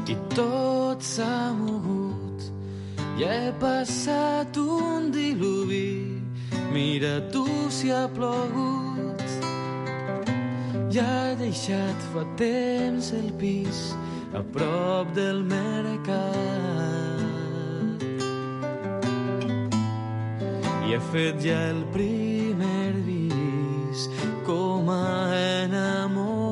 i tot s'ha mogut. Ja he passat un diluvi, mira tu si ha plogut. Ja he deixat fa temps el pis a prop del mercat i he fet ja el primer bis com a enamorat,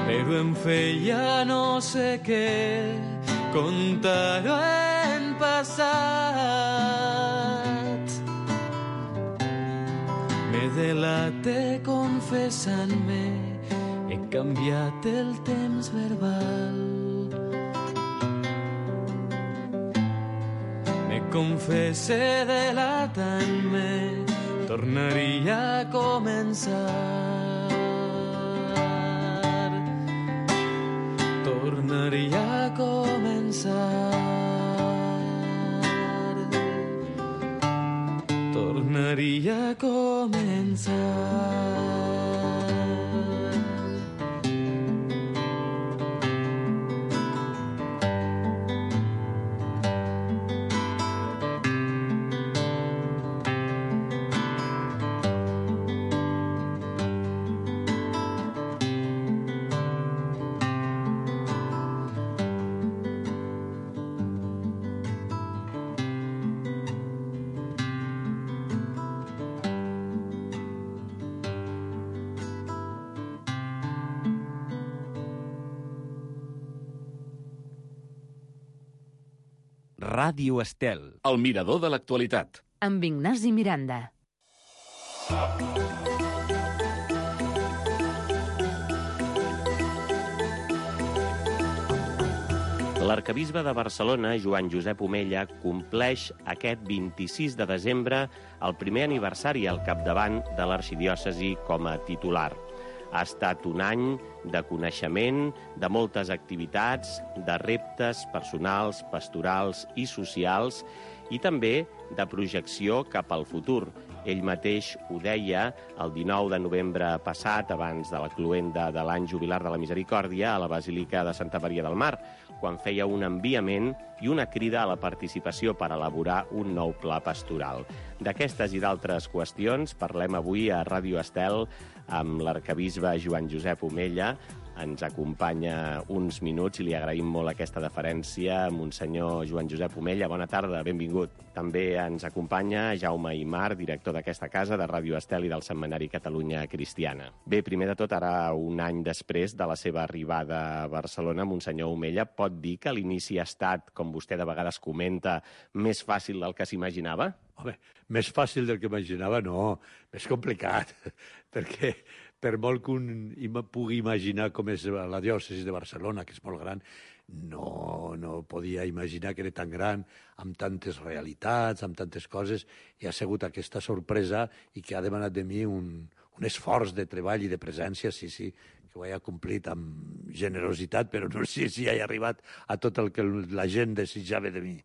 però em feia no sé què contar-ho en passat. M'he delaté confessant-me, he canviat el temps verbal. Me confesse delatant-me, tornaria a començar. Tornaria a començar. Tornaria a començar. Ràdio Estel. El mirador de l'actualitat. Amb Ignasi Miranda. L'arquebisbe de Barcelona, Joan Josep Omella, compleix aquest 26 de desembre el primer aniversari al capdavant de l'arxidiòcesi com a titular. Ha estat un any de coneixement, de moltes activitats, de reptes personals, pastorals i socials i també de projecció cap al futur. Ell mateix ho deia el 19 de novembre passat, abans de la cloenda de l'any jubilar de la Misericòrdia, a la Basílica de Santa Maria del Mar, quan feia un enviament i una crida a la participació per elaborar un nou pla pastoral. D'aquestes i d'altres qüestions parlem avui a Ràdio Estel amb l'arquebisbe Joan Josep Omella. Ens acompanya uns minuts i li agraïm molt aquesta deferència. Monsenyor Joan Josep Omella, bona tarda, benvingut. També ens acompanya Jaume Imar, director d'aquesta casa, de Ràdio Estel i del Setmanari Catalunya Cristiana. Bé, primer de tot, ara un any després de la seva arribada a Barcelona, Monsenyor Omella, pot dir que l'inici ha estat, com vostè de vegades comenta, més fàcil del que s'imaginava? Home, més fàcil del que imaginava, no. Més complicat, perquè per molt que un pugui imaginar com és la diòcesi de Barcelona, que és molt gran, no podia imaginar que era tan gran, amb tantes realitats, amb tantes coses, i ha sigut aquesta sorpresa i que ha demanat de mi un esforç de treball i de presència, sí, que ho he complit amb generositat, però no sé si he arribat a tot el que la gent desitjava de mi.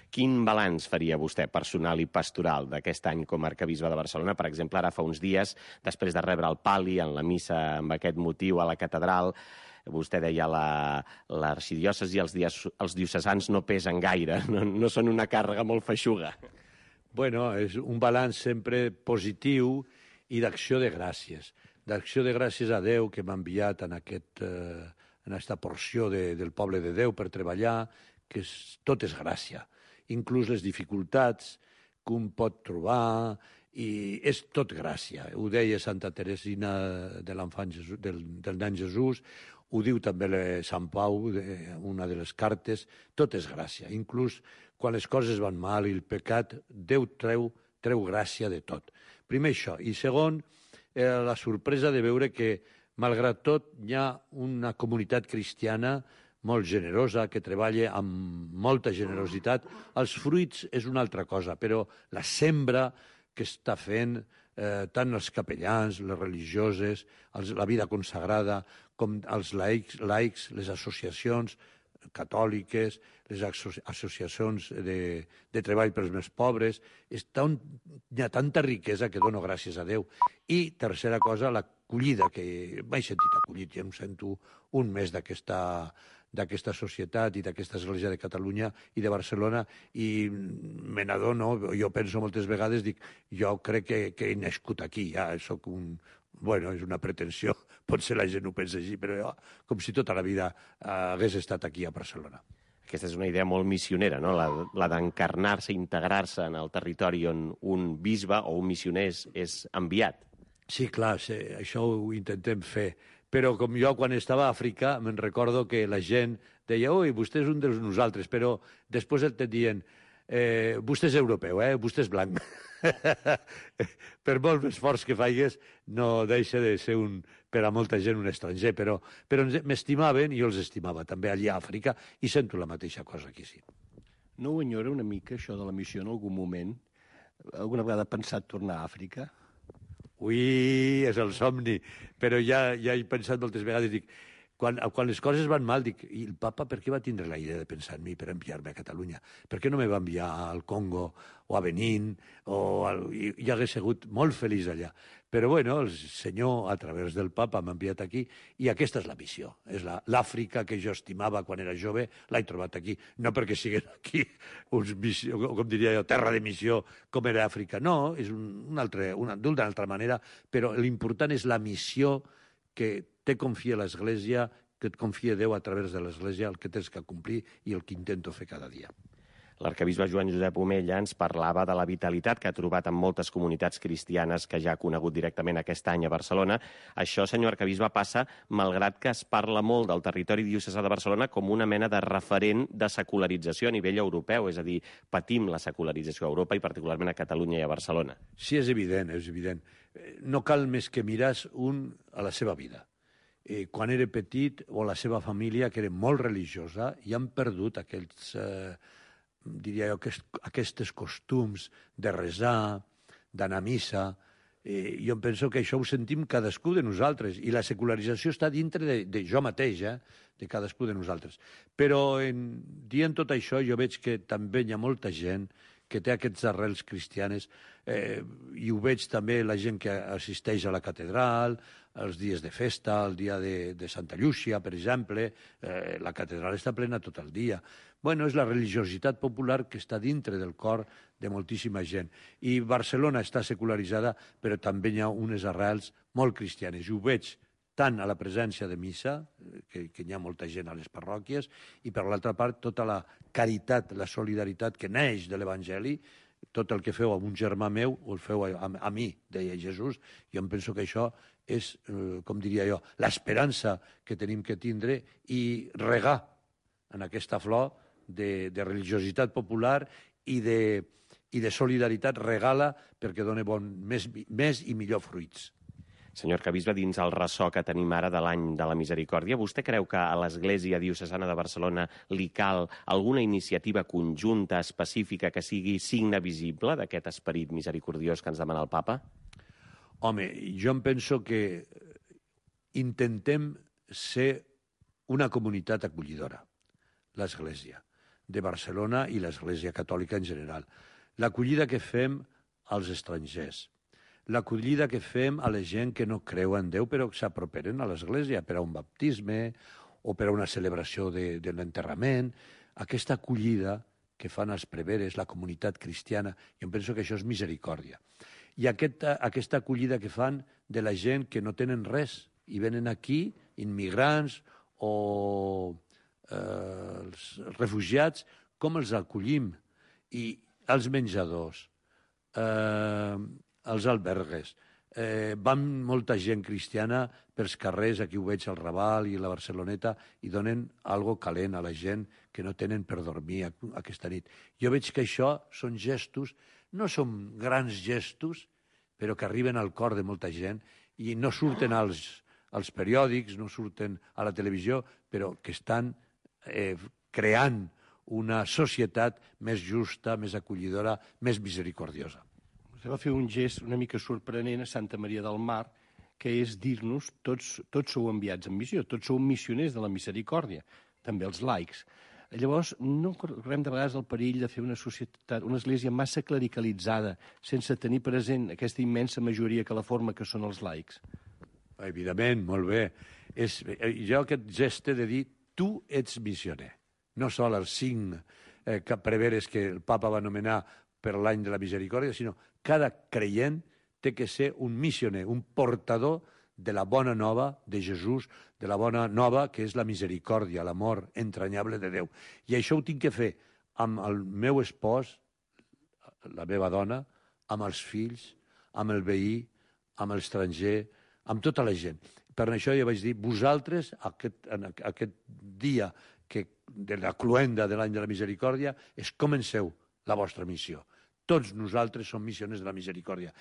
Quin balanç faria vostè, personal i pastoral, d'aquest any com a arquebisbe de Barcelona? Per exemple, ara fa uns dies, després de rebre el pal·li en la missa amb aquest motiu a la catedral, vostè deia l'arxidiòcesi i els diocesans no pesen gaire, no són una càrrega molt feixuga. Bueno, és un balanç sempre positiu i d'acció de gràcies. D'acció de gràcies a Déu que m'ha enviat en aquesta porció del poble de Déu per treballar, que tot és gràcia. Inclús les dificultats que un pot trobar, i és tot gràcia. Ho deia Santa Teresina de l'Enfant Jesús, del nen Jesús, ho diu també Sant Pau, una de les cartes, tot és gràcia. Inclús quan les coses van mal i el pecat, Déu treu gràcia de tot. Primer això. I segon, la sorpresa de veure que, malgrat tot, hi ha una comunitat cristiana molt generosa, que treballa amb molta generositat. Els fruits és una altra cosa, però la sembra que està fent tant els capellans, les religioses, la vida consagrada, com els laics, les associacions catòliques, les associacions de treball pels més pobres. Hi ha tanta riquesa que dono gràcies a Déu. I, tercera cosa, la acollida, que m'he sentit acollit, ja em sento un més d'aquesta societat i d'aquesta Església de Catalunya i de Barcelona, i me n'adono, jo penso moltes vegades, dic, jo crec que he nascut aquí, ja soc un... Bueno, és una pretensió, potser la gent ho pensa així, però jo, com si tota la vida hagués estat aquí a Barcelona. Aquesta és una idea molt missionera, no? La d'encarnar-se, integrar-se en el territori on un bisbe o un missioner és enviat. Sí, clar, sí, això ho intentem fer. Però com jo, quan estava a Àfrica, me'n recordo que la gent deia «Ui, vostè és un de nosaltres», però després et diuen «Vostè és europeu, vostè és blanc». Per molt esforç que faigues, no deixa de ser per a molta gent un estranger, però m'estimaven i jo els estimava també allà a Àfrica, i sento la mateixa cosa aquí, sí. No ho enyora una mica, això de la missió, en algun moment? Alguna vegada ha pensat tornar a Àfrica? Ui, és el somni, però ja he pensat moltes vegades, dic, quan les coses van mal, dic, i el papa per què va tindre la idea de pensar en mi per enviar-me a Catalunya? Per què no me va enviar al Congo o a Benín? I hagués sigut molt feliç allà. Però, bueno, el senyor, a través del papa, m'ha enviat aquí, i aquesta és la missió. És l'Àfrica que jo estimava quan era jove, l'he trobat aquí. No perquè siguin aquí, com diria jo, terra de missió, com era Àfrica. No, és d'una altra manera, però l'important és la missió que te confia l'Església, que et confia Déu a través de l'Església, el que tens que complir i el que intento fer cada dia. L'arcabisbe Joan Josep Omella ens parlava de la vitalitat que ha trobat en moltes comunitats cristianes que ja ha conegut directament aquest any a Barcelona. Això, senyor arcabisbe, passa malgrat que es parla molt del territori diocesà de Barcelona com una mena de referent de secularització a nivell europeu, és a dir, patim la secularització a Europa i particularment a Catalunya i a Barcelona. Sí, és evident, és evident. No cal més que mirar a la seva vida. Quan era petit, o la seva família, que era molt religiosa, i han perdut aquells... diria jo, aquests costums de resar, d'anar a missa. Jo penso que això ho sentim cadascú de nosaltres, i la secularització està dintre de jo mateix, de cadascú de nosaltres. Però dient tot això, jo veig que també hi ha molta gent que té aquests arrels cristianes, i ho veig també la gent que assisteix a la catedral, els dies de festa, el dia de Santa Llúcia, per exemple, la catedral està plena tot el dia. Bueno, és la religiositat popular que està dintre del cor de moltíssima gent. I Barcelona està secularitzada, però també hi ha unes arrels molt cristianes. I ho veig tant a la presència de missa, que hi ha molta gent a les parròquies, i per l'altra part tota la caritat, la solidaritat que neix de l'Evangeli, tot el que feu a un germà meu, o el feu a mi, deia Jesús. Jo em penso que això és, com diria jo, l'esperança que tenim que tindre i regar en aquesta flor de religiositat popular i de solidaritat, regala perquè dona més i millor fruits. Senyor arcabisbe, dins el ressò que tenim ara de l'any de la misericòrdia, vostè creu que a l'Església Diocesana de Barcelona li cal alguna iniciativa conjunta, específica, que sigui signe visible d'aquest esperit misericordiós que ens demana el papa? Home, jo em penso que intentem ser una comunitat acollidora, l'Església de Barcelona i l'Església Catòlica en general. L'acollida que fem als estrangers, l'acollida que fem a la gent que no creu en Déu però que s'aproperen a l'Església per a un baptisme o per a una celebració de l'enterrament, aquesta acollida que fan els preveres, la comunitat cristiana, jo penso que això és misericòrdia. I aquesta acollida que fan de la gent que no tenen res i venen aquí, immigrants o els refugiats, com els acollim, i els menjadors, els albergues. Van molta gent cristiana pels carrers, aquí ho veig al Raval i a la Barceloneta, i donen algo calent a la gent que no tenen per dormir aquesta nit. Jo veig que això són gestos, no són grans gestos, però que arriben al cor de molta gent i no surten als periòdics, no surten a la televisió, però que estan creant una societat més justa, més acollidora, més misericordiosa. Vostè va fer un gest una mica sorprenent a Santa Maria del Mar, que és dir-nos tots sou enviats en missió, tots sou missioners de la misericòrdia, també els laics. Llavors, no correm de vegades el perill de fer una societat, una església massa clericalitzada, sense tenir present aquesta immensa majoria que la forma que són els laics? Evidentment, molt bé. Jo aquest gest de dir tu ets missioner. No sol els 5 preveres que el papa va anomenar per l'any de la misericòrdia, sinó cada creient té que ser un missioner, un portador de la bona nova de Jesús, de la bona nova que és la misericòrdia, l'amor entranyable de Déu. I això ho tinc que fer amb el meu espòs, la meva dona, amb els fills, amb el veí, amb l'estranger, amb tota la gent. Per això ja vaig dir, vosaltres, aquest dia de la cloenda de l'any de la misericòrdia, comenceu la vostra missió. Tots nosaltres som missioners de la misericòrdia.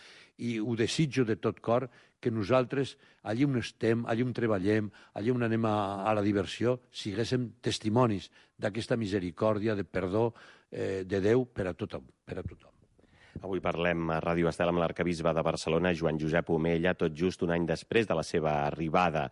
I ho desitjo de tot cor que nosaltres, allí on estem, allí on treballem, allí on anem a la diversió, siguéssim testimonis d'aquesta misericòrdia, de perdó de Déu per a tothom. Avui parlem a Ràdio Estel amb l'arcabisbe de Barcelona, Joan Josep Omella, tot just un any després de la seva arribada.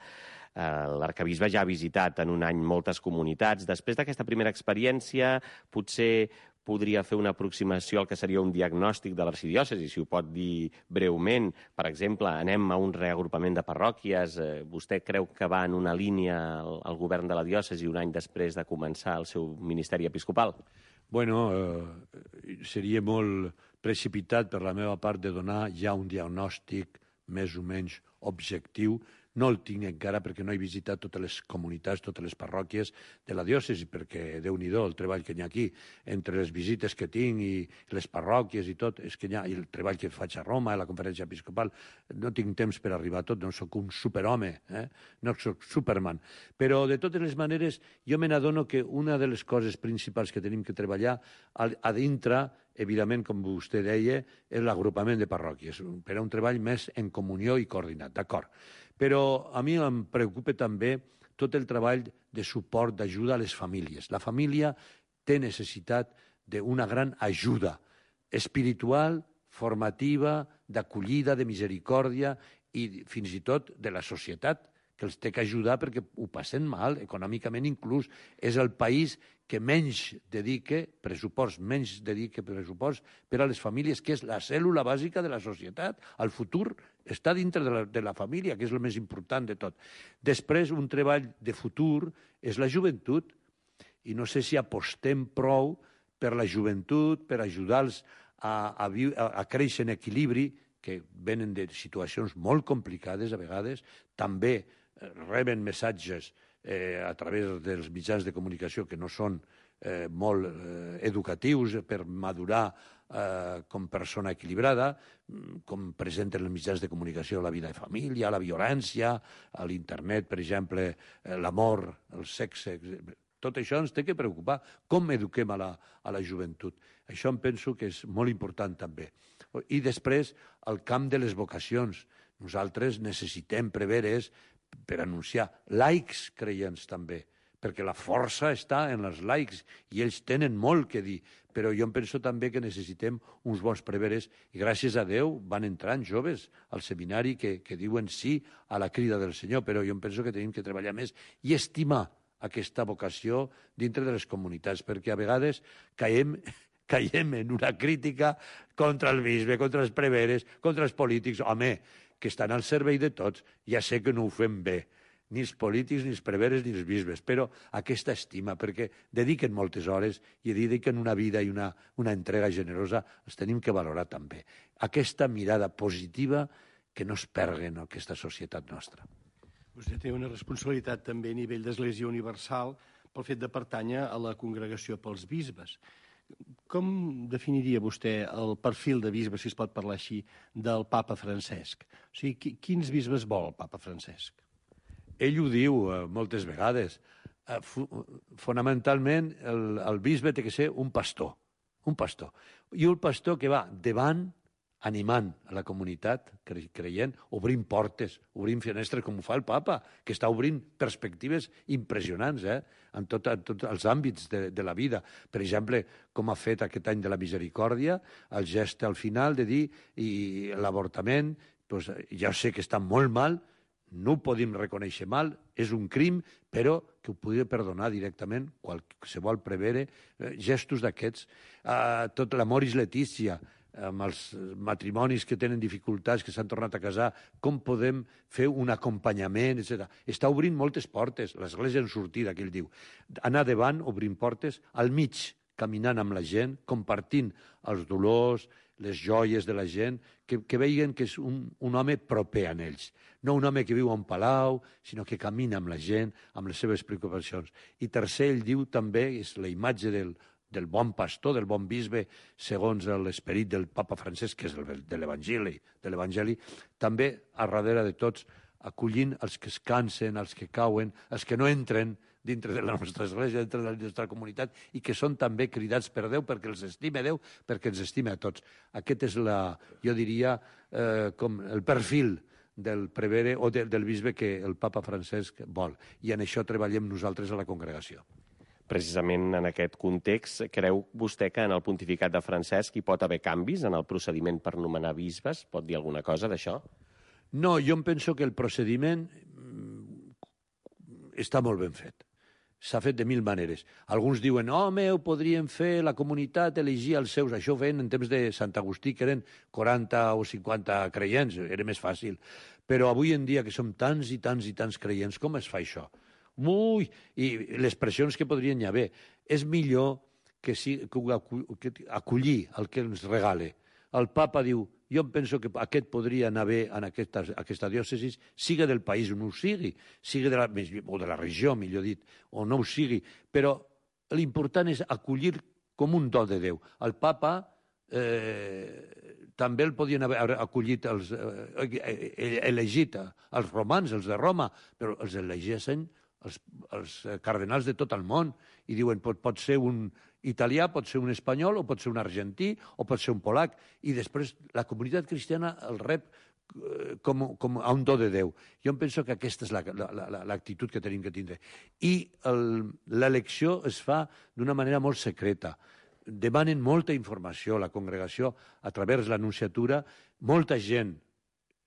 L'arcabisbe ja ha visitat en un any moltes comunitats. Després d'aquesta primera experiència, potser podria fer una aproximació al que seria un diagnòstic de l'arxidiòcesi, si ho pot dir breument. Per exemple, anem a un reagrupament de parròquies. Vostè creu que va en una línia al govern de la diòcesi un any després de començar el seu ministeri episcopal? Bueno, seria molt precipitat per la meva part de donar ja un diagnòstic més o menys objectiu. No el tinc encara perquè no he visitat totes les comunitats, totes les parròquies de la diòcesi, perquè Déu-n'hi-do el treball que hi ha aquí, entre les visites que tinc i les parròquies i tot, és que hi ha el treball que faig a Roma, a la conferència episcopal, no tinc temps per arribar a tot, no sóc un superhome, no sóc Superman. Però, de totes les maneres, jo me n'adono que una de les coses principals que tenim que treballar a dintre, evidentment, com vostè deia, és l'agrupament de parròquies, per a un treball més en comunió i coordinat, d'acord. Però a mi em preocupa també tot el treball de suport, d'ajuda a les famílies. La família té necessitat d'una gran ajuda espiritual, formativa, d'acollida, de misericòrdia i fins i tot de la societat, que els té que ajudar perquè ho passen mal, econòmicament inclús. És el país que menys dedica pressupost per a les famílies, que és la cèl·lula bàsica de la societat. El futur està dintre de la família, que és el més important de tot. Després, un treball de futur és la joventut, i no sé si apostem prou per la joventut, per ajudar-los a créixer en equilibri, que venen de situacions molt complicades a vegades, també reben missatges a través dels mitjans de comunicació que no són molt educatius per madurar com persona equilibrada, com presenten els mitjans de comunicació la vida de família, la violència, a l'internet, per exemple, l'amor, el sexe. Tot això ens té que preocupar. Com eduquem a la joventut? Això em penso que és molt important també. I després, el camp de les vocacions. Nosaltres necessitem preveres per anunciar laics creients també, perquè la força està en els laics i ells tenen molt que dir, però jo em penso també que necessitem uns bons preveres i gràcies a Déu van entrant joves al seminari que diuen sí a la crida del Senyor, però jo em penso que tenim que treballar més i estimar aquesta vocació dintre de les comunitats, perquè a vegades caiem en una crítica contra el bisbe, contra els preveres, contra els polítics. Home, que estan al servei de tots, ja sé que no ho fem bé, ni els polítics, ni els preveres, ni els bisbes, però aquesta estima, perquè dediquen moltes hores i dediquen una vida i una entrega generosa, els tenim que valorar també. Aquesta mirada positiva que no es pergui en aquesta societat nostra. Vostè té una responsabilitat també a nivell d'Església Universal pel fet de pertànyer a la congregació pels bisbes. Com definiria vostè el perfil de bisbe, si es pot parlar així, del papa Francesc? O sigui, quins bisbes vol el papa Francesc? Ell ho diu moltes vegades. Fonamentalment, el bisbe té que ser un pastor. I un pastor que va davant, animant a la comunitat creient, obrint portes, obrint finestres, com ho fa el papa, que està obrint perspectives impressionants en tots els àmbits de la vida. Per exemple, com ha fet aquest any de la misericòrdia, el gest al final de dir i l'avortament, doncs, ja sé que està molt mal, no ho podem reconèixer mal, és un crim, però que ho podria perdonar directament qualsevol prevere, gestos d'aquests. Tot l'Amoris Laetitia, amb els matrimonis que tenen dificultats, que s'han tornat a casar, com podem fer un acompanyament, etc. Està obrint moltes portes, l'Església en sortida, que ell diu. Anar davant, obrint portes, al mig, caminant amb la gent, compartint els dolors, les joies de la gent, que veien que és un home proper a ells. No un home que viu a un palau, sinó que camina amb la gent, amb les seves preocupacions. I tercer, ell diu també, és la imatge del bon pastor, del bon bisbe, segons l'esperit del papa Francesc, que és el de l'Evangeli, també a darrere de tots, acollint els que es cansen, els que cauen, els que no entren dintre de la nostra església, dintre de la nostra comunitat, i que són també cridats per Déu, perquè els estime Déu, perquè ens estime a tots. Aquest és, jo diria, com el perfil del prevere o del bisbe que el papa Francesc vol. I en això treballem nosaltres a la congregació. Precisament en aquest context, creu vostè que en el pontificat de Francesc hi pot haver canvis en el procediment per nomenar bisbes? Pot dir alguna cosa d'això? No, jo em penso que el procediment està molt ben fet. S'ha fet de mil maneres. Alguns diuen, home, ho podrien fer la comunitat, elegir els seus. Això ho feien en temps de Sant Agustí, que eren 40 o 50 creients, era més fàcil. Però avui en dia, que som tants i tants i tants creients, com es fa això? Ui, i les pressions que podrien hi haver. És millor que acollir el que ens regale. El papa diu, jo penso que aquest podria anar bé en aquesta diòcesi, sigui del país on ho sigui o de la regió, millor dit, o no ho sigui, però l'important és acollir com un do de Déu. El papa també el podien haver acollit, elegit els romans, els de Roma, però els elegeixen els cardenals de tot el món i diuen pot ser un italià, pot ser un espanyol, o pot ser un argentí, o pot ser un polac. I després la comunitat cristiana el rep com a un do de Déu. Jo em penso que aquesta és l'actitud que tenim que tindre. I l'elecció es fa d'una manera molt secreta. Demanen molta informació a la congregació a través de l'anunciatura. Molta gent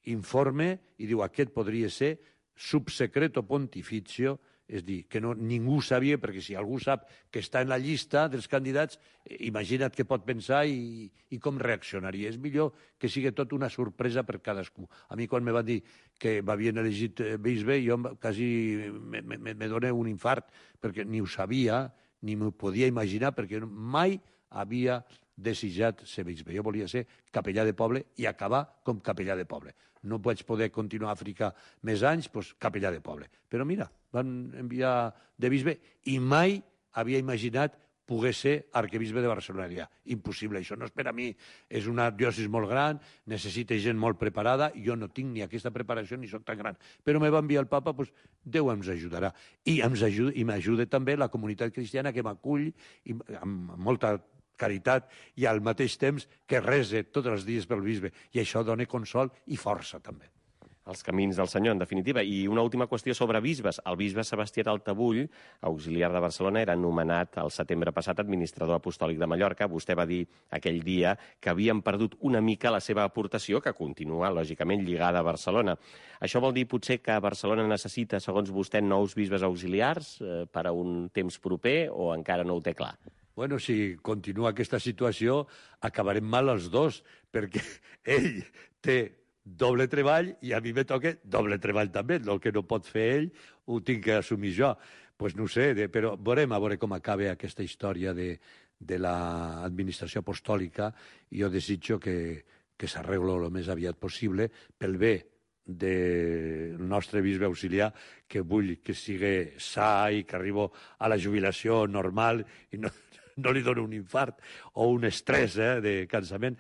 informe i diu aquest podria ser subsecreto pontificio, és dir, que ningú sabia, perquè si algú sap que està en la llista dels candidats, imagina't què pot pensar i com reaccionaria. És millor que sigui tot una sorpresa per cadascú. A mi, quan me van dir que m'havien elegit bisbe, jo quasi me dona un infart, perquè ni ho sabia, ni m'ho podia imaginar, perquè mai havia desitjat ser bisbe. Jo volia ser capellà de poble i acabar com capellà de poble. No vaig poder continuar a Àfrica més anys, doncs capellà de poble. Però mira, van enviar de bisbe i mai havia imaginat poder ser arquebisbe de Barcelona. Impossible, això no és per a mi. És una diòcesi molt gran, necessita gent molt preparada, jo no tinc ni aquesta preparació ni soc tan gran. Però me va enviar el papa, doncs Déu ens ajudarà. I m'ajuda també la comunitat cristiana que m'acull amb molta caritat i al mateix temps que rese tots els dies pel bisbe. I això dona consol i força també. Els camins del Senyor, en definitiva. I una última qüestió sobre bisbes. El bisbe Sebastià Taltabull, auxiliar de Barcelona, era nomenat el setembre passat administrador apostòlic de Mallorca. Vostè va dir aquell dia que havien perdut una mica la seva aportació, que continua, lògicament, lligada a Barcelona. Això vol dir potser que Barcelona necessita, segons vostè, nous bisbes auxiliars per a un temps proper o encara no ho té clar? Bueno, si continua aquesta situació, acabarem mal els dos, perquè ell té doble treball i a mi me toca doble treball també. El que no pot fer ell ho tinc que assumir jo. Pues no ho sé, però veurem a veure com acaba aquesta història de l'administració apostòlica. Jo desitjo que s'arregli el més aviat possible pel bé del nostre bisbe auxiliar, que vull que sigui sa i que arribo a la jubilació normal i no li dono un infart o un estrès de cansament,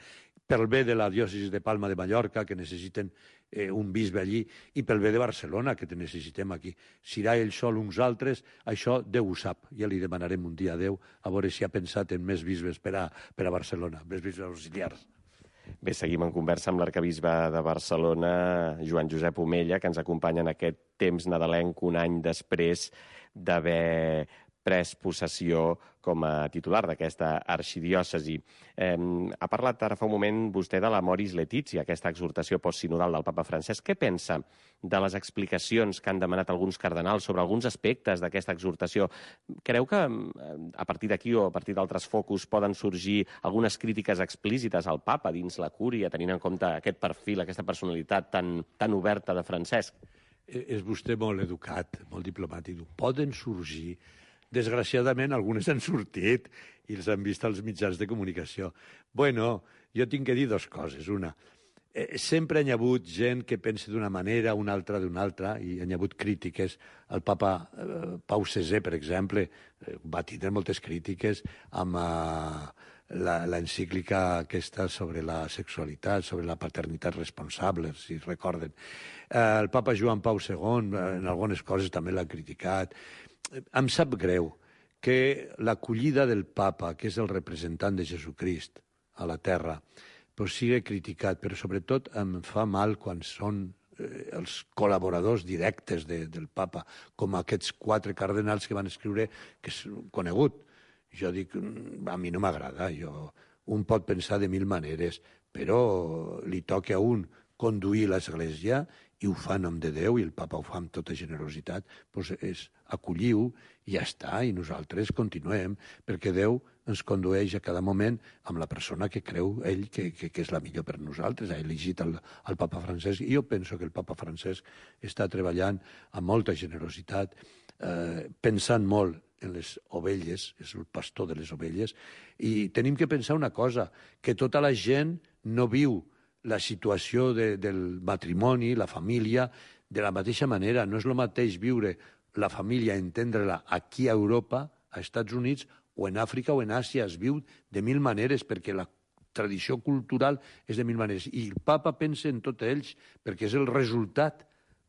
pel bé de la diòcesi de Palma de Mallorca, que necessiten un bisbe allí, i pel bé de Barcelona, que te necessitem aquí. Serà ell sol uns altres, això Déu ho sap. Ja li demanarem un dia a Déu a veure si ha pensat en més bisbes per a Barcelona, més bisbes auxiliars. Bé, seguim en conversa amb l'arquebisbe de Barcelona, Joan Josep Omella, que ens acompanya en aquest temps nadalenc un any després d'haver pres possessió com a titular d'aquesta arxidiòcesi. Ha parlat ara fa un moment vostè de l'Amoris Laetitia, aquesta exhortació postsinodal del papa Francesc. Què pensa de les explicacions que han demanat alguns cardenals sobre alguns aspectes d'aquesta exhortació? Creu que a partir d'aquí o a partir d'altres focus poden sorgir algunes crítiques explícites al papa dins la cúria, tenint en compte aquest perfil, aquesta personalitat tan oberta de Francesc? És vostè molt educat, molt diplomàtic. Poden sorgir. Desgraciadament, algunes han sortit i els han vist als mitjans de comunicació. Bueno, jo tinc que dir dues coses. Una, sempre hi ha hagut gent que pensa d'una manera, una altra d'una altra, i hi ha hagut crítiques. El papa Pau VI, per exemple, va tindre moltes crítiques amb l'encíclica aquesta sobre la sexualitat, sobre la paternitat responsable, si recorden. El papa Joan Pau II, en algunes coses també l'ha criticat. Em sap greu que l'acollida del papa, que és el representant de Jesucrist a la terra, doncs sigui criticat, però sobretot em fa mal quan són els col·laboradors directes del papa, com aquests 4 cardenals que van escriure, que és conegut. Jo dic, a mi no m'agrada, un pot pensar de 1000 maneres, però li toca a un conduir l'Església i ho fa en nom de Déu, i el papa ho fa amb tota generositat, doncs acolliu i ja està, i nosaltres continuem, perquè Déu ens condueix a cada moment amb la persona que creu ell que és la millor per nosaltres. Ha elegit el papa Francesc, i jo penso que el papa Francesc està treballant amb molta generositat, pensant molt en les ovelles, és el pastor de les ovelles, i tenim que pensar una cosa, que tota la gent no viu la situació del matrimoni, la família, de la mateixa manera. No és el mateix viure la família, entendre-la aquí a Europa, a Estats Units, o en Àfrica o en Àsia. Es viu de 1000 maneres, perquè la tradició cultural és de 1000 maneres. I el papa pensa en tots ells, perquè és el resultat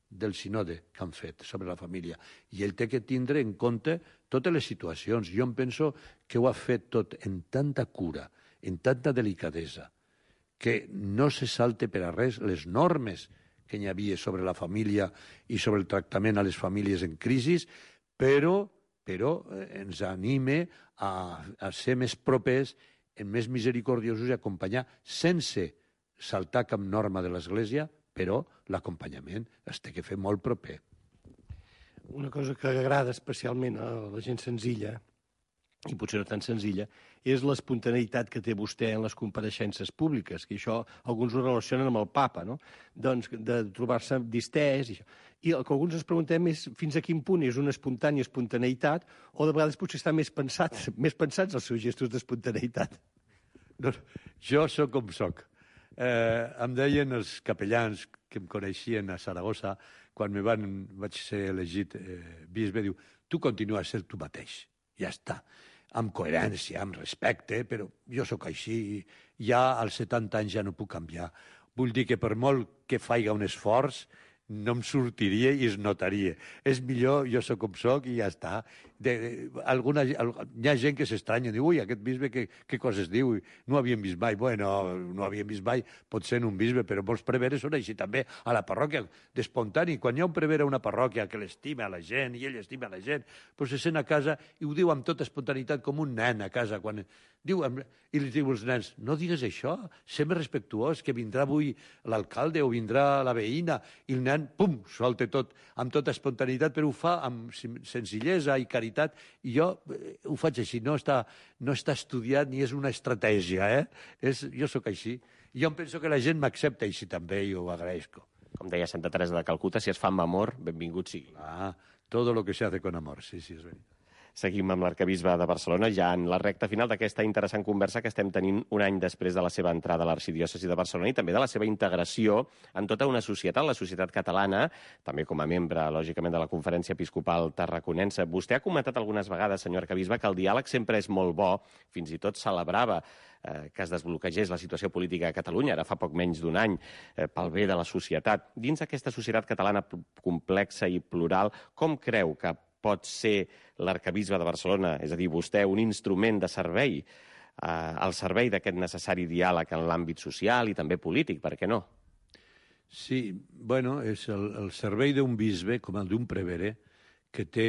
del sinode que han fet sobre la família. I ell té que tindre en compte totes les situacions. Jo em penso que ho ha fet tot en tanta cura, en tanta delicadesa, que no se salte per a res les normes que hi havia sobre la família i sobre el tractament a les famílies en crisi, però ens anime a ser més propers, més misericordiosos i acompanyar sense saltar cap norma de l'Església, però l'acompanyament es té que fer molt proper. Una cosa que agrada especialment a la gent senzilla, i potser no tan senzilla, és l'espontaneïtat que té vostè en les compareixences públiques, que això alguns ho relacionen amb el papa, no? Doncs de trobar-se distès i això. I el que alguns ens preguntem és fins a quin punt és una espontània espontaneïtat o de vegades potser estan més pensats els seus gestos d'espontaneïtat. No, jo sóc com sóc. Em deien els capellans que em coneixien a Saragossa, quan vaig ser elegit bisbe, diu, tu continua a ser tu mateix, ja està, amb coherència, amb respecte, però jo sóc així, ja als 70 anys ja no puc canviar. Vull dir que per molt que faig un esforç, no em sortiria i es notaria. És millor, jo sóc com sóc i ja està. Hi ha gent que s'estranya, diu, ui, aquest bisbe què coses diu? No ho havíem vist mai. Bueno, no ho havíem vist mai, pot ser en un bisbe, però molts preveres són així també a la parròquia, d'espontani. Quan hi ha un prevere a una parròquia que l'estima a la gent i ell estima a la gent, doncs se sent a casa i ho diu amb tota espontaneïtat com un nen a casa. I li diu als nens, no digues això, sé més respectuós, que vindrà avui l'alcalde o vindrà la veïna, i el nen, pum, solta tot amb tota espontaneïtat, però ho fa amb senzillesa i caritat, i jo ho faig així, no està estudiat ni és una estratègia, jo sóc així. I jo em penso que la gent m'accepta així també i ho agraeixo. Com deia Santa Teresa de Calcuta, si es fa amb amor, benvingut sigui. Todo lo que se hace con amor, sí, és veritat. Seguim amb l'arcabisbe de Barcelona, ja en la recta final d'aquesta interessant conversa que estem tenint un any després de la seva entrada a l'arxidiòcesi de Barcelona i també de la seva integració en tota una societat, la societat catalana, també com a membre, lògicament, de la Conferència Episcopal Tarraconense. Vostè ha comentat algunes vegades, senyor arcabisbe, que el diàleg sempre és molt bo, fins i tot celebrava que es desbloquegés la situació política a Catalunya, ara fa poc menys d'un any, pel bé de la societat. Dins d'aquesta societat catalana complexa i plural, com creu que pot ser l'arcabisbe de Barcelona, és a dir, vostè, un instrument de servei, al servei d'aquest necessari diàleg en l'àmbit social i també polític, per què no? Sí, bueno, és el servei d'un bisbe, com el d'un prevere, que té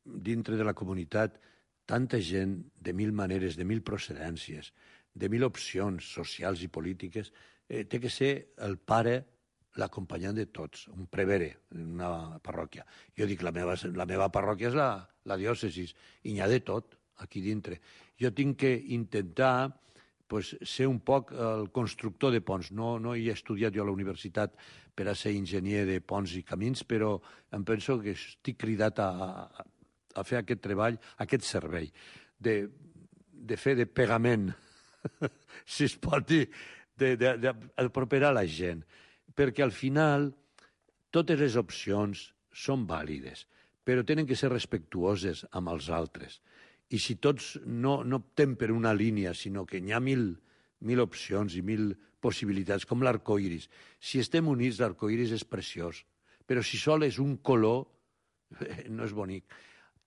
dintre de la comunitat tanta gent de 1000 maneres, de 1000 procedències, de 1000 opcions socials i polítiques, té que ser el pare, l'acompanyant de tots, un prevere en una parròquia. Jo dic, la meva parròquia és la diòcesis, i n'hi ha de tot aquí dintre. Jo tinc que intentar ser un poc el constructor de ponts. No he estudiat jo a la universitat per a ser enginyer de ponts i camins, però em penso que estic cridat a fer aquest treball, aquest servei, de fer de pegament, si es pot dir, d'aproperar la gent. Perquè al final totes les opcions són vàlides, però tenen que ser respectuoses amb els altres. I si tots no optem per una línia, sinó que n'hi ha 1000 opcions i 1000 possibilitats, com l'arcoiris. Si estem units, l'arcoiris és preciós, però si sol és un color, no és bonic.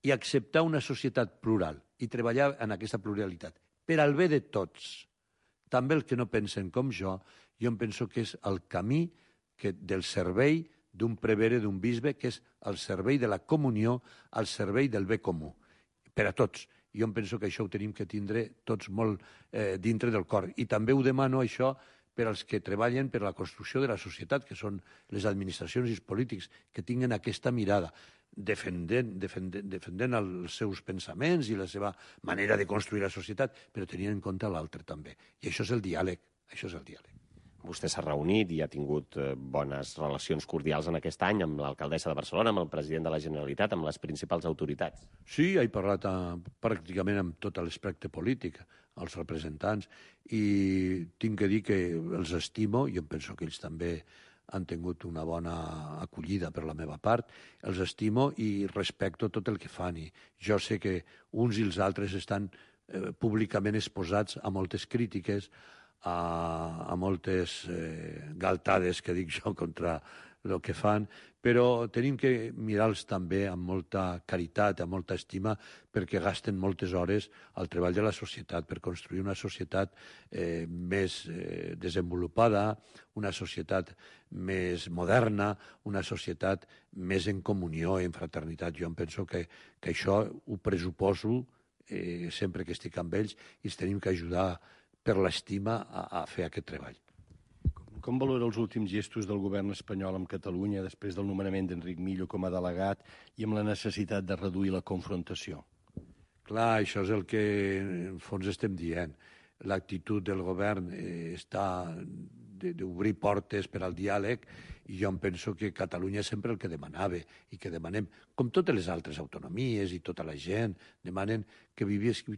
I acceptar una societat plural i treballar en aquesta pluralitat per al bé de tots, també els que no pensen com jo em penso que és el camí del servei d'un prevere, d'un bisbe, que és el servei de la comunió, el servei del bé comú, per a tots. Jo em penso que això ho tenim que tindre tots molt dintre del cor. I també ho demano, això, per als que treballen per la construcció de la societat, que són les administracions i els polítics, que tinguen aquesta mirada, defendent els seus pensaments i la seva manera de construir la societat, però tenint en compte l'altre també. I això és el diàleg, això és el diàleg. Vostè s'ha reunit i ha tingut bones relacions cordials en aquest any amb l'alcaldessa de Barcelona, amb el president de la Generalitat, amb les principals autoritats. Sí, he parlat pràcticament amb tot l'espectre polític, els representants, i tinc que dir que els estimo, i em penso que ells també han tingut una bona acollida per la meva part, els estimo i respecto tot el que fan. I jo sé que uns i els altres estan públicament exposats a moltes crítiques, a moltes galtades, que dic jo, contra el que fan, però tenim que mirar-los també amb molta caritat, amb molta estima, perquè gasten moltes hores al treball de la societat, per construir una societat més desenvolupada, una societat més moderna, una societat més en comunió, en fraternitat. Jo em penso que això ho pressuposo sempre que estic amb ells, i els tenim que ajudar per l'estima a fer aquest treball. Com valora els últims gestos del govern espanyol amb Catalunya després del nomenament d'Enric Millo com a delegat i amb la necessitat de reduir la confrontació? Clar, això és el que en fons estem dient. L'actitud del govern està d'obrir portes per al diàleg, i jo em penso que Catalunya és sempre el que demanava i que demanem, com totes les altres autonomies i tota la gent, demanen que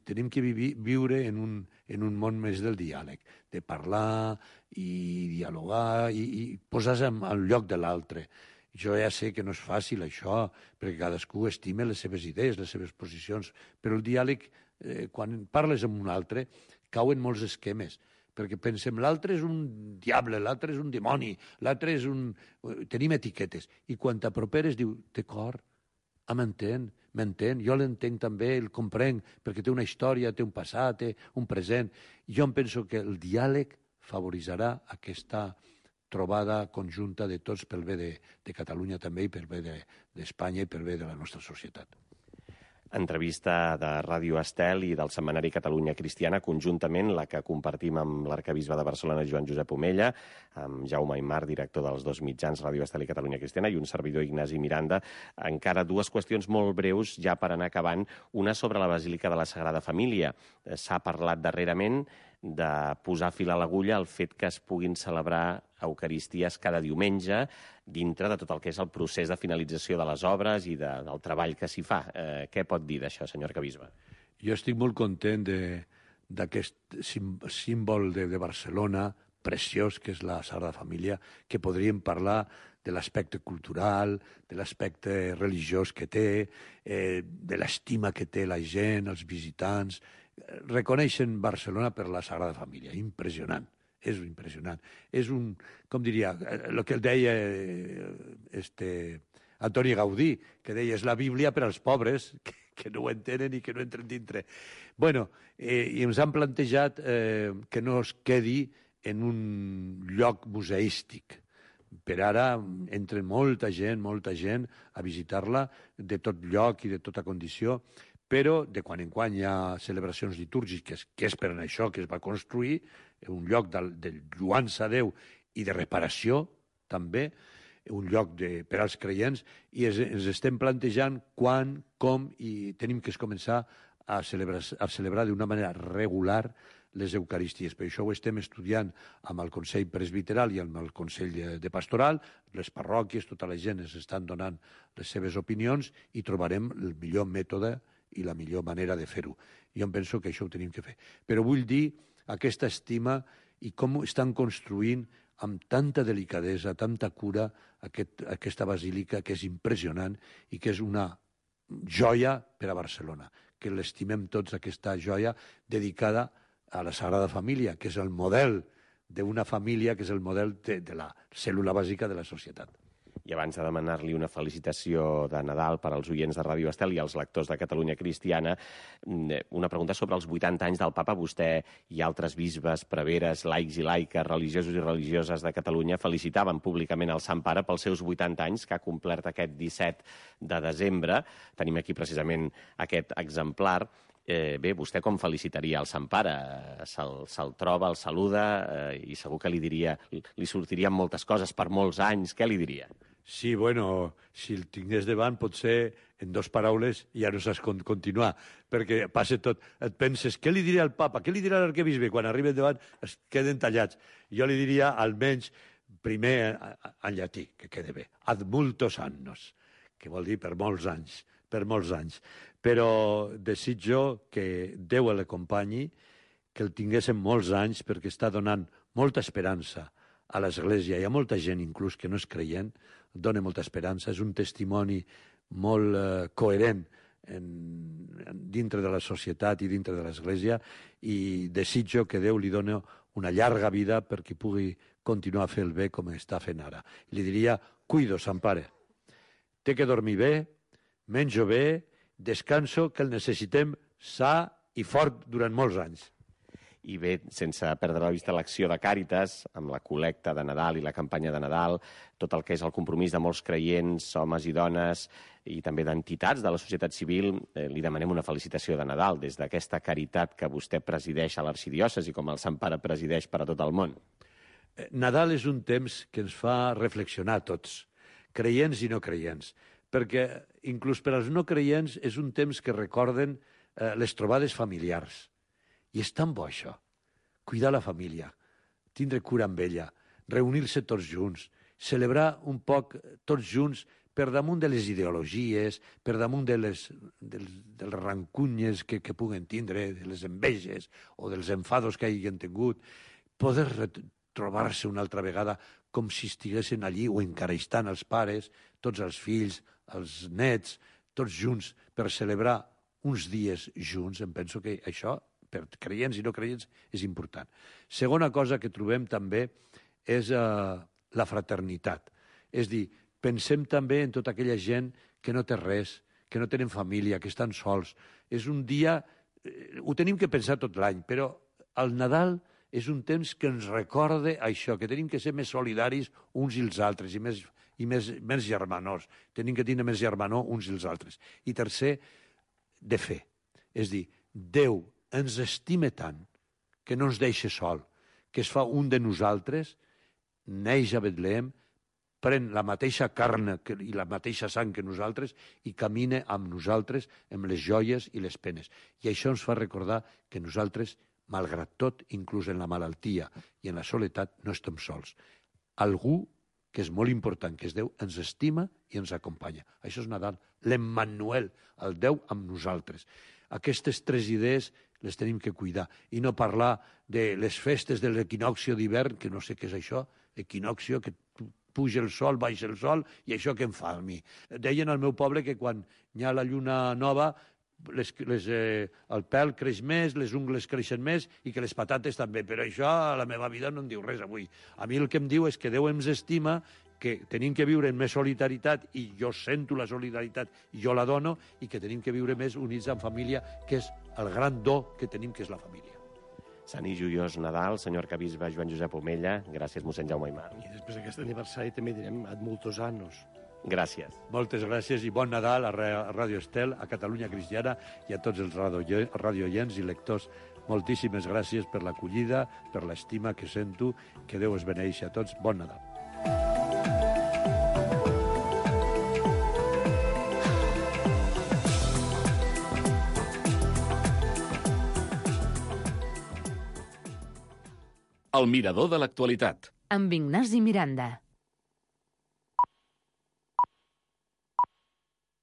tenim que viure en un món més del diàleg, de parlar i dialogar i posar-se al lloc de l'altre. Jo ja sé que no és fàcil això, perquè cadascú estima les seves idees, les seves posicions, però el diàleg, quan parles amb un altre, cauen molts esquemes, perquè pensem l'altre és un diable, l'altre és un dimoni, l'altre és un... Tenim etiquetes. I quan t'aproperes diu, d'acord, m'entén, jo l'entenc també, el comprenc, perquè té una història, té un passat, té un present. Jo em penso que el diàleg favorirà aquesta trobada conjunta de tots pel bé de Catalunya també, i pel bé d'Espanya i pel bé de la nostra societat. Entrevista de Ràdio Estel i del setmanari Catalunya Cristiana, conjuntament la que compartim amb l'arcabisbe de Barcelona, Joan Josep Omella, amb Jaume Aymar, director dels dos mitjans, Ràdio Estel i Catalunya Cristiana, i un servidor, Ignasi Miranda. Encara dues qüestions molt breus, ja per anar acabant. Una sobre la Basílica de la Sagrada Família. S'ha parlat darrerament de posar fil a l'agulla el fet que es puguin celebrar eucaristies cada diumenge dintre de tot el que és el procés de finalització de les obres i del treball que s'hi fa. Què pot dir d'això, senyor arcabisbe? Jo estic molt content d'aquest símbol de Barcelona preciós, que és la Sagrada Família, que podríem parlar de l'aspecte cultural, de l'aspecte religiós que té, de l'estima que té la gent, els visitants. Reconeixen Barcelona per la Sagrada Família. Impressionant. És impressionant. És un, com diria, el que el deia Antoni Gaudí, que deia, és la Bíblia per als pobres, que no ho entenen i que no entren dintre. Bueno, i ens han plantejat que no es quedi en un lloc museístic, Per ara entra molta gent a visitar-la de tot lloc i de tota condició, però de quan en quan hi ha celebracions litúrgiques, que és per això que es va construir, un lloc de lluança a Déu i de reparació, també, un lloc per als creients, i ens estem plantejant quan, com, i tenim que començar a celebrar d'una manera regular les Eucaristies. Per això ho estem estudiant amb el Consell Presbiteral i amb el Consell de Pastoral. Les parròquies, tota la gent ens estan donant les seves opinions i trobarem el millor mètode i la millor manera de fer-ho. Jo em penso que això ho tenim que fer. Però vull dir aquesta estima i com estan construint amb tanta delicadesa, tanta cura, aquesta basílica que és impressionant i que és una joia per a Barcelona, que l'estimem tots, aquesta joia dedicada a la Sagrada Família, que és el model d'una família, que és el model de la cèl·lula bàsica de la societat. I abans de demanar-li una felicitació de Nadal per als oients de Ràdio Estel i als lectors de Catalunya Cristiana, una pregunta sobre els 80 anys del papa. Vostè i altres bisbes, preveres, laics i laiques, religiosos i religioses de Catalunya felicitaven públicament el Sant Pare pels seus 80 anys, que ha complert aquest 17 de desembre. Tenim aquí precisament aquest exemplar. Bé, vostè com felicitaria el Sant Pare? Se'l troba, el saluda i segur que li sortirien moltes coses per molts anys. Què li diria? Sí, bueno, si el tingués davant, potser en 2 paraules ja no saps continuar, perquè passa tot. Et penses, què li diré al papa, què li dirà l'arquebisbe? Quan arriben davant es queden tallats. Jo li diria, almenys, primer en llatí, que quede bé, ad multos annos, que vol dir per molts anys, però desitjo que Déu l'acompanyi, que el tinguéssim molts anys, perquè està donant molta esperança a l'Església i a molta gent, inclús que no és creient, dona molta esperança. És un testimoni molt coherent dintre de la societat i dintre de l'Església, i desitjo que Déu li doni una llarga vida perquè pugui continuar a fer el bé com està fent ara. Li diria, cuido, Sant Pare, té que dormir bé, menjo bé, descanso, que el necessitem sa i fort durant molts anys. I bé, sense perdre la vista l'acció de Càritas, amb la col·lecta de Nadal i la campanya de Nadal, tot el que és el compromís de molts creients, homes i dones, i també d'entitats de la societat civil, li demanem una felicitació de Nadal des d'aquesta caritat que vostè presideix a l'arxidiòcesi, com el Sant Pare presideix per a tot el món. Nadal és un temps que ens fa reflexionar tots, creients i no creients, perquè inclús per als no creients és un temps que recorden les trobades familiars. I és tan bo això, cuidar la família, tindre cura amb ella, reunir-se tots junts, celebrar un poc tots junts per damunt de les ideologies, per damunt de les rancunyes que puguen tindre, de les enveges o dels enfados que hagin tingut, poder trobar-se una altra vegada com si estiguessin allí o encara estan els pares, tots els fills, els nets, tots junts per celebrar uns dies junts. Em penso que això, per creients i no creients, és important. Segona cosa que trobem també és la fraternitat. És dir, pensem també en tota aquella gent que no té res, que no tenen família, que estan sols. És un dia, ho tenim que pensar tot l'any, però el Nadal és un temps que ens recorda això, que tenim que ser més solidaris uns i els altres i més germanors. Tenim que tenir més germanor uns i els altres. I tercer, de fe. És dir, Déu ens estima tant que no ens deixa sol, que es fa un de nosaltres, neix a Betlem, pren la mateixa carn i la mateixa sang que nosaltres i camina amb nosaltres amb les joies i les penes. I això ens fa recordar que nosaltres, malgrat tot, inclús en la malaltia i en la soledat, no estem sols. Algú que és molt important, que és Déu, ens estima i ens acompanya. Això és Nadal, l'Emmanuel, el Déu amb nosaltres. Aquestes 3 idees les tenim que cuidar i no parlar de les festes de l'equinòxio d'hivern, que no sé què és això, equinòxio, que puja el sol, baixa el sol, i això què em fa a mi? Deien al meu poble que quan hi ha la lluna nova el pèl creix més, les ungles creixen més i que les patates també, però això a la meva vida no em diu res avui. A mi el que em diu és que Déu ens estima, que tenim que viure en més solidaritat i jo sento la solidaritat i jo la dono, i que tenim que viure més units en família, que és el gran do que tenim, que és la família. Sant i joiós Nadal, senyor arcabisbe Joan Josep Omella. Gràcies, mossèn Jaume Aymar. I després d'aquest aniversari també direm ad multos annos. Gràcies. Moltes gràcies i bon Nadal a Ràdio Estel, a Catalunya Cristiana i a tots els radioients i lectors. Moltíssimes gràcies per l'acollida, per l'estima que sento. Que Déu es beneixi a tots. Bon Nadal. El mirador de l'actualitat. Amb Ignasi Miranda.